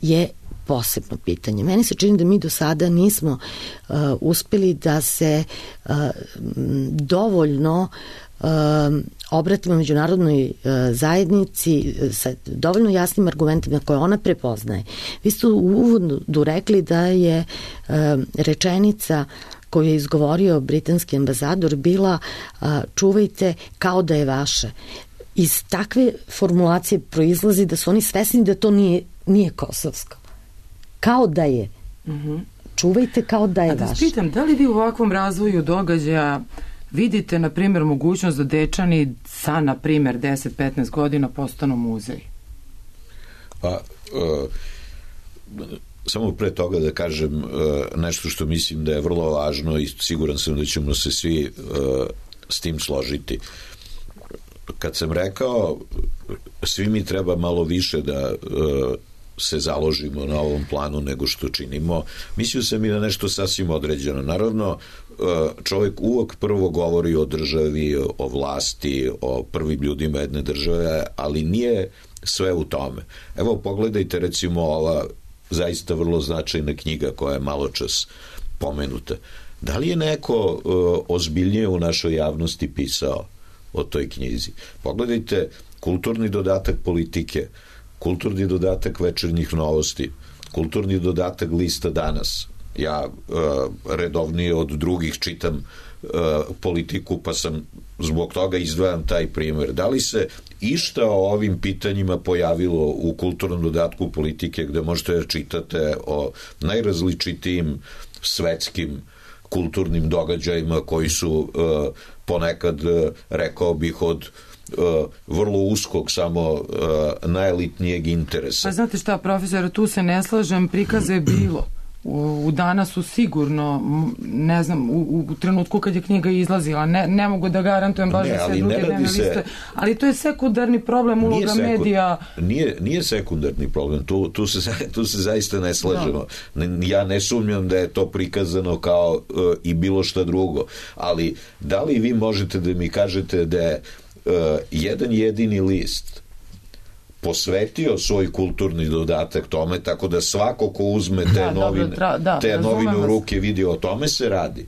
je posebno pitanje. Meni se čini da mi do sada nismo uspeli da se dovoljno obratimo međunarodnoj zajednici sa dovoljno jasnim argumentima koje ona prepoznaje. Vi ste u uvodu rekli da je rečenica koju je izgovorio britanski ambasador bila čuvajte kao da je vaše. Iz takve formulacije proizlazi da su oni svesni da to nije kosovsko. Kao da je. Čuvajte kao da je vaše. A da spitam, da li vi u ovakvom razvoju događaja vidite, na primjer, mogućnost da Dečani sa, na primjer, 10-15 godina postanu muzej? Pa, samo pre toga da kažem nešto što mislim da je vrlo važno i siguran sam da ćemo se svi s tim složiti. Kad sam rekao svi mi treba malo više da se založimo na ovom planu nego što činimo, mislio sam i na nešto sasvim određeno. Naravno, čovjek uvek prvo govori o državi, o vlasti, o prvim ljudima jedne države, ali nije sve u tome. Evo, pogledajte recimo ova zaista vrlo značajna knjiga koja je maločas pomenuta. Da li je neko ozbiljnije u našoj javnosti pisao o toj knjizi? Pogledajte kulturni dodatak Politike, kulturni dodatak Večernjih novosti, kulturni dodatak Lista Danas. Ja redovnije od drugih čitam Politiku, pa sam zbog toga izdvajam taj primjer. Da li se išta o ovim pitanjima pojavilo u kulturnom dodatku Politike gde možete da čitate o najrazličitijim svetskim kulturnim događajima koji su ponekad, rekao bih, od vrlo uskog, samo najelitnijeg interesa. Pa znate šta, profesor, tu se ne slažem, prikaze je bilo. U danas su sigurno, ne znam, u trenutku kad je knjiga izlazila, ne mogu da garantujem baš za sve druge dnevne liste, ali to je sekundarni problem uloga medija. Nije sekundarni problem, tu se zaista ne slažemo. Ja ne sumnjam da je to prikazano kao i bilo šta drugo, ali da li vi možete da mi kažete da je jedan jedini list posvetio svoj kulturni dodatak tome, tako da svako ko uzme te novine u ruke vidi, o tome se radi.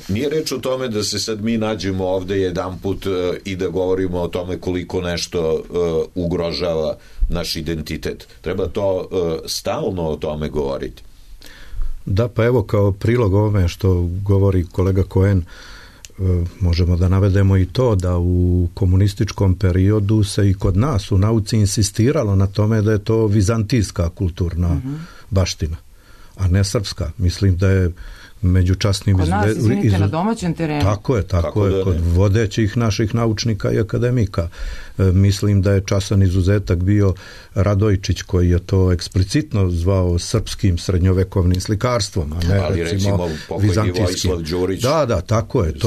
Nije reč o tome da se sad mi nađemo ovde jedanput i da govorimo o tome koliko nešto ugrožava naš identitet. Treba to stalno o tome govoriti. Da, pa evo kao prilog ovome što govori kolega Cohen, možemo da navedemo i to da u komunističkom periodu se i kod nas u nauci insistiralo na tome da je to vizantijska kulturna baština. a ne srpska. Mislim da je među časnim... Kod nas, izvinite, na domaćem terenu. Tako je, kod vodećih naših naučnika i akademika. Mislim da je časan izuzetak bio Radojčić, koji je to eksplicitno zvao srpskim srednjovekovnim slikarstvom, a ne recimo vizantijskim. Da, tako je.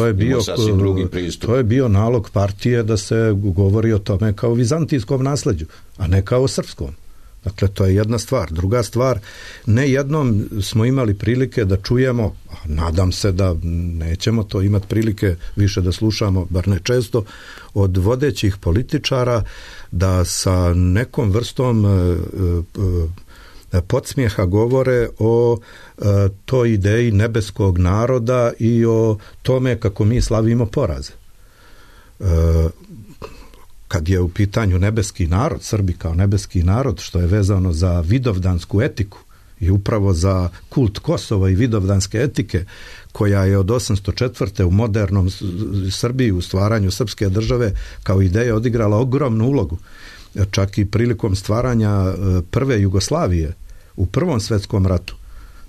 To je bio nalog partije da se govori o tome kao vizantijskom nasleđu, a ne kao srpskom. Dakle, to je jedna stvar. Druga stvar, ne jednom smo imali prilike da čujemo, a nadam se da nećemo to imati prilike više da slušamo, bar ne često, od vodećih političara da sa nekom vrstom podsmijeha govore o toj ideji nebeskog naroda i o tome kako mi slavimo poraze. Kad je u pitanju nebeski narod, Srbi kao nebeski narod, što je vezano za vidovdansku etiku i upravo za kult Kosova i vidovdanske etike, koja je od 804. u modernom Srbiji, u stvaranju srpske države, kao ideja odigrala ogromnu ulogu. Čak i prilikom stvaranja prve Jugoslavije u Prvom svetskom ratu.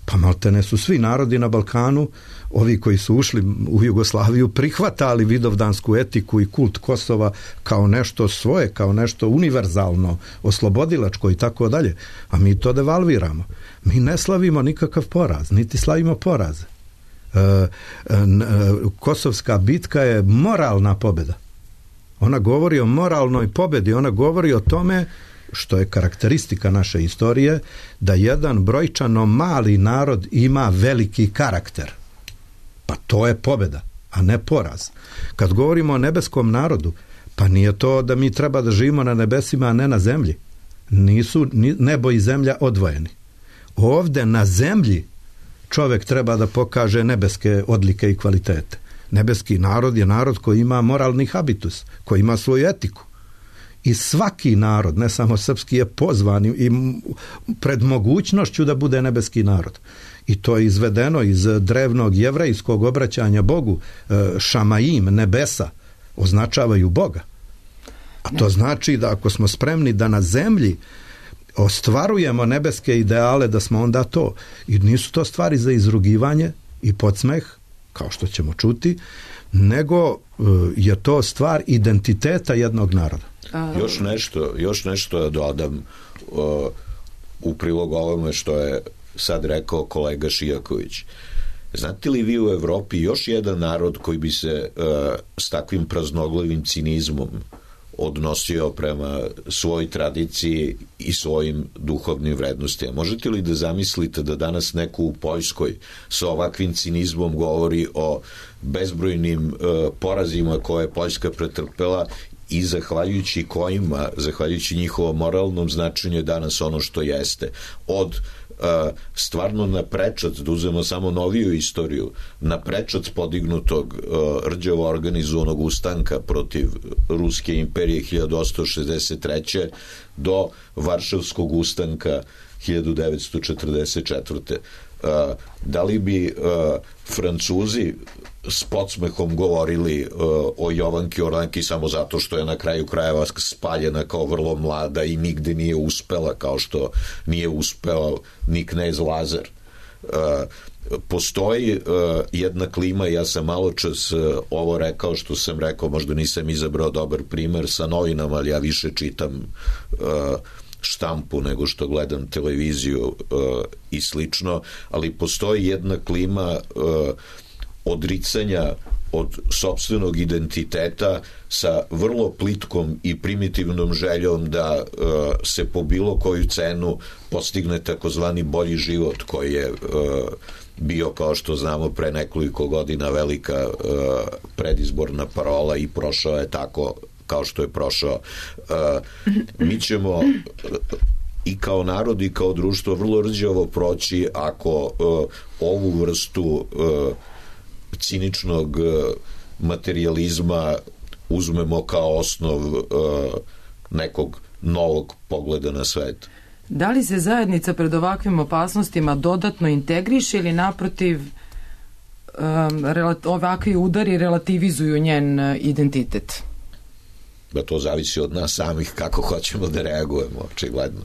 Pa maltene su svi narodi na Balkanu, ovi koji su ušli u Jugoslaviju, prihvatali vidovdansku etiku i kult Kosova kao nešto svoje, kao nešto univerzalno, oslobodilačko i tako dalje. A mi to devalviramo. Mi ne slavimo nikakav poraz, niti slavimo poraze. Kosovska bitka je moralna pobjeda. Ona govori o moralnoj pobjedi, ona govori o tome što je karakteristika naše istorije, da jedan brojčano mali narod ima veliki karakter. Pa to je pobjeda, a ne poraz. Kad govorimo o nebeskom narodu, pa nije to da mi treba da živimo na nebesima, a ne na zemlji. Nisu nebo i zemlja odvojeni. Ovde na zemlji čovjek treba da pokaže nebeske odlike i kvalitete. Nebeski narod je narod koji ima moralni habitus, koji ima svoju etiku. I svaki narod, ne samo srpski, je pozvan i pred mogućnošću da bude nebeski narod. I to je izvedeno iz drevnog jevrejskog obraćanja Bogu. Šamaim, nebesa, označavaju Boga. A to znači da ako smo spremni da na zemlji ostvarujemo nebeske ideale, da smo onda to. I nisu to stvari za izrugivanje i podsmeh, kao što ćemo čuti, nego je to stvar identiteta jednog naroda. Još nešto da dodam u prilog ovome što je sad rekao kolega Šijaković. Znate li vi u Evropi još jedan narod koji bi se s takvim praznoglivim cinizmom odnosio prema svojoj tradiciji i svojim duhovnim vrednostima? Možete li da zamislite da danas neko u Poljskoj sa ovakvim cinizmom govori o bezbrojnim porazima koje je Poljska pretrpela i zahvaljujući kojima, zahvaljujući njihovom moralnom značenju, je danas ono što jeste. Od stvarno na prečac, da uzmemo samo noviju istoriju, na prečac podignutog rđavo organizovanog ustanka protiv Ruske imperije 1863. do Varšavskog ustanka 1944. Da li bi Francuzi s podsmehom govorili o Jovanki Orlanki samo zato što je na kraju krajeva spaljena kao vrlo mlada i nigde nije uspela, kao što nije uspeo ni knez Lazar? Postoji jedna klima, ja sam malo čas ovo rekao što sam rekao, možda nisam izabrao dobar primer sa novinama, ali ja više čitam štampu nego što gledam televiziju i slično, ali postoji jedna klima odricanja od sopstvenog identiteta sa vrlo plitkom i primitivnom željom da se po bilo koju cenu postigne takozvani bolji život koji je bio, kao što znamo, pre nekoliko godina velika predizborna parola i prošao je tako kao što je prošao. Mi ćemo i kao narod i kao društvo vrlo rđavo proći ako ovu vrstu ciničnog materijalizma uzmemo kao osnov nekog novog pogleda na svet. Da li se zajednica pred ovakvim opasnostima dodatno integriše ili naprotiv ovakvi udari relativizuju njen identitet? Da to zavisi od nas samih kako hoćemo da reagujemo, očigledno.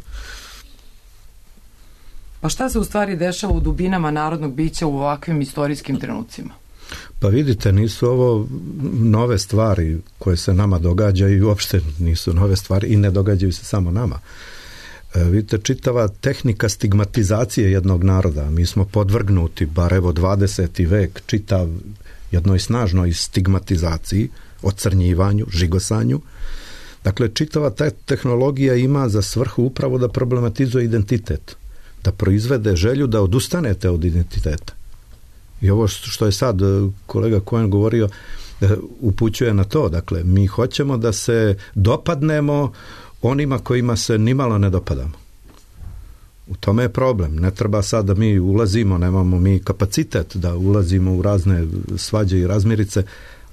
Pa šta se u stvari dešava u dubinama narodnog bića u ovakvim istorijskim trenucima? Pa vidite, nisu ovo nove stvari koje se nama događaju i uopšte nisu nove stvari i ne događaju se samo nama. Vidite, čitava tehnika stigmatizacije jednog naroda, mi smo podvrgnuti, bar evo 20. vek, čitav jednoj snažnoj stigmatizaciji, ocrnjivanju, žigosanju. Dakle, čitava ta tehnologija ima za svrhu upravo da problematizuje identitet, da proizvede želju da odustanete od identiteta. I ovo što je sad kolega Cohen govorio upućuje na to. Dakle, mi hoćemo da se dopadnemo onima kojima se nimalo ne dopadamo. U tome je problem. Ne treba sad da mi ulazimo, nemamo mi kapacitet da ulazimo u razne svađe i razmirice,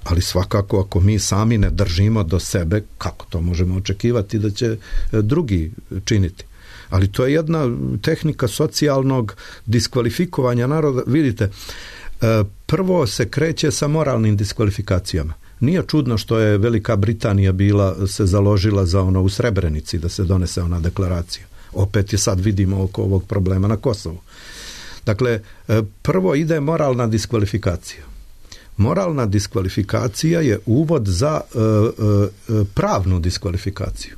ali svakako ako mi sami ne držimo do sebe, kako to možemo očekivati da će drugi činiti? Ali to je jedna tehnika socijalnog diskvalifikovanja naroda. Vidite, prvo se kreće sa moralnim diskvalifikacijama. Nije čudno što je Velika Britanija se založila za ono u Srebrenici da se donese ona deklaracija. Opet je sad vidimo oko ovog problema na Kosovu. Dakle, prvo ide moralna diskvalifikacija. Moralna diskvalifikacija je uvod za pravnu diskvalifikaciju.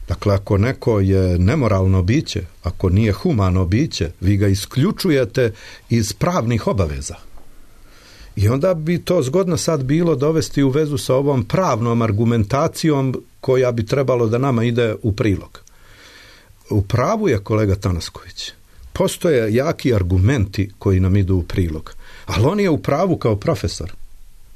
Dakle, ako neko je nemoralno biće, ako nije humano biće, vi ga isključujete iz pravnih obaveza. I onda bi to zgodno sad bilo dovesti u vezu sa ovom pravnom argumentacijom koja bi trebalo da nama ide u prilog. U pravu je kolega Tanasković. Postoje jaki argumenti koji nam idu u prilog. Ali on je u pravu kao profesor.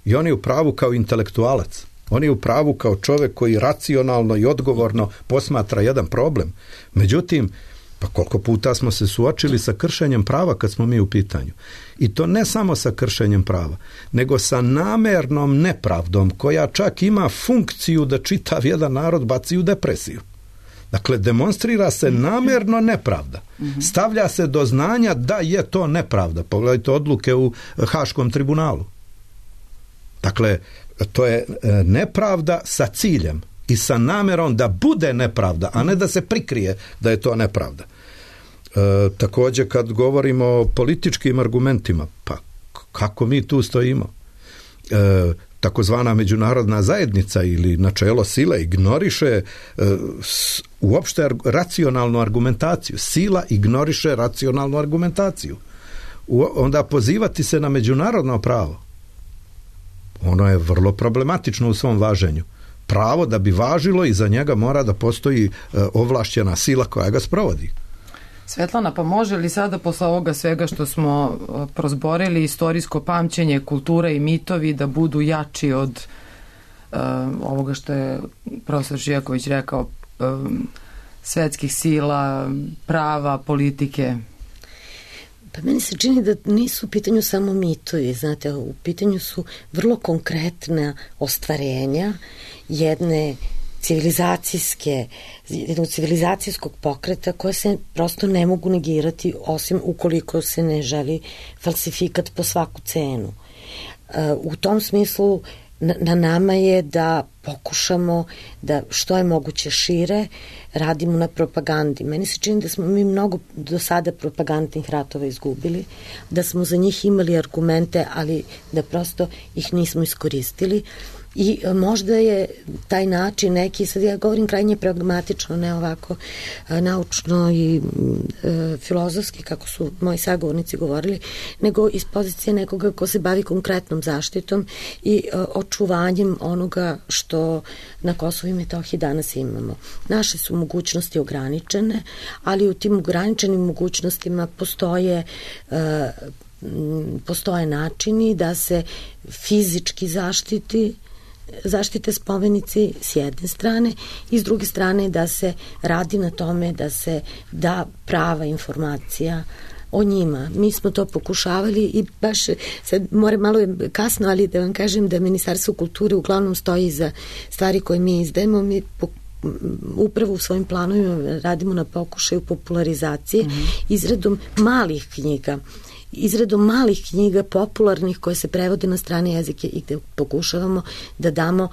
I on je u pravu kao intelektualac. On je u pravu kao čovjek koji racionalno i odgovorno posmatra jedan problem. Međutim, pa koliko puta smo se suočili sa kršenjem prava kad smo mi u pitanju. I to ne samo sa kršenjem prava, nego sa namernom nepravdom koja čak ima funkciju da čitav jedan narod baci u depresiju. Dakle, demonstrira se namerno nepravda. Stavlja se do znanja da je to nepravda. Pogledajte odluke u Haškom tribunalu. Dakle, to je nepravda sa ciljem i sa namerom da bude nepravda, a ne da se prikrije da je to nepravda. Također kad govorimo o političkim argumentima, pa kako mi tu stojimo? Takozvana međunarodna zajednica ili načelo sile ignoriše uopšte racionalnu argumentaciju. Sila ignoriše racionalnu argumentaciju. Onda pozivati se na međunarodno pravo, ono je vrlo problematično u svom važenju. Pravo da bi važilo i za njega mora da postoji ovlašćena sila koja ga sprovodi. Svetlana, pa može li sada posle ovoga svega što smo prozborili istorijsko pamćenje, kultura i mitovi da budu jači od ovoga što je profesor Žijaković rekao, svetskih sila, prava, politike? Pa meni se čini da nisu u pitanju samo mitovi, znate, u pitanju su vrlo konkretna ostvarenja jednog civilizacijskog pokreta koje se prosto ne mogu negirati osim ukoliko se ne želi falsifikat po svaku cenu. U tom smislu na nama je da pokušamo da što je moguće šire radimo na propagandi. Meni se čini da smo mi mnogo do sada propagandnih ratova izgubili, da smo za njih imali argumente, ali da prosto ih nismo iskoristili. I možda je taj način neki, sad ja govorim krajnje pragmatično, ne ovako naučno i filozofski, kako su moji sagovornici govorili, nego iz pozicije nekoga ko se bavi konkretnom zaštitom i očuvanjem onoga što na Kosovu i Metohiji danas imamo. Naše su mogućnosti ograničene, ali u tim ograničenim mogućnostima postoje načini da se fizički zaštite spomenici s jedne strane i s druge strane da se radi na tome da se da prava informacija o njima. Mi smo to pokušavali i baš sad moram malo kasno, ali da vam kažem da Ministarstvo kulture uglavnom stoji za stvari koje mi izdajemo. Mi upravo u svojim planovima radimo na pokušaju popularizacije izradom malih knjiga popularnih koje se prevode na strane jezike i gde pokušavamo da damo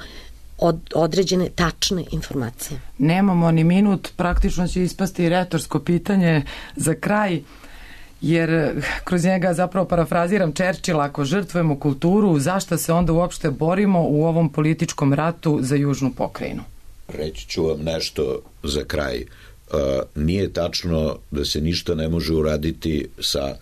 određene tačne informacije. Nemamo ni minut, praktično će ispasti retorsko pitanje za kraj, jer kroz njega zapravo parafraziram Čerčila, ako žrtvujemo kulturu, zašto se onda uopšte borimo u ovom političkom ratu za južnu pokrajinu? Reći ću vam nešto za kraj. Nije tačno da se ništa ne može uraditi sa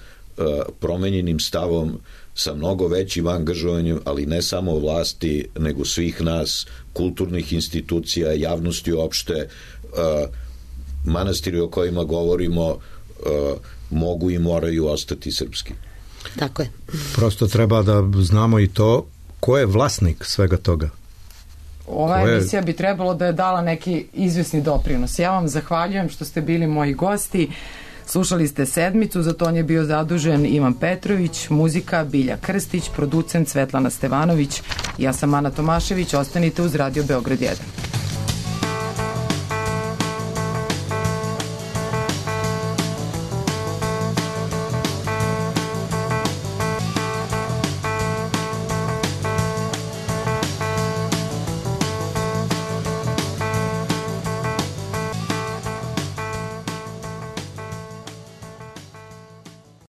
promenjenim stavom, sa mnogo većim angažovanjem, ali ne samo vlasti, nego svih nas, kulturnih institucija, javnosti uopšte. Manastiri o kojima govorimo mogu i moraju ostati srpski. Tako je. Prosto treba da znamo i to ko je vlasnik svega toga. Ova emisija bi trebalo da je dala neki izvesni doprinos. Ja vam zahvaljujem što ste bili moji gosti. Slušali ste Sedmicu, za to je bio zadužen Ivan Petrović, muzika Bilja Krstić, producent Svetlana Stevanović. Ja sam Ana Tomašević, ostanite uz Radio Beograd 1.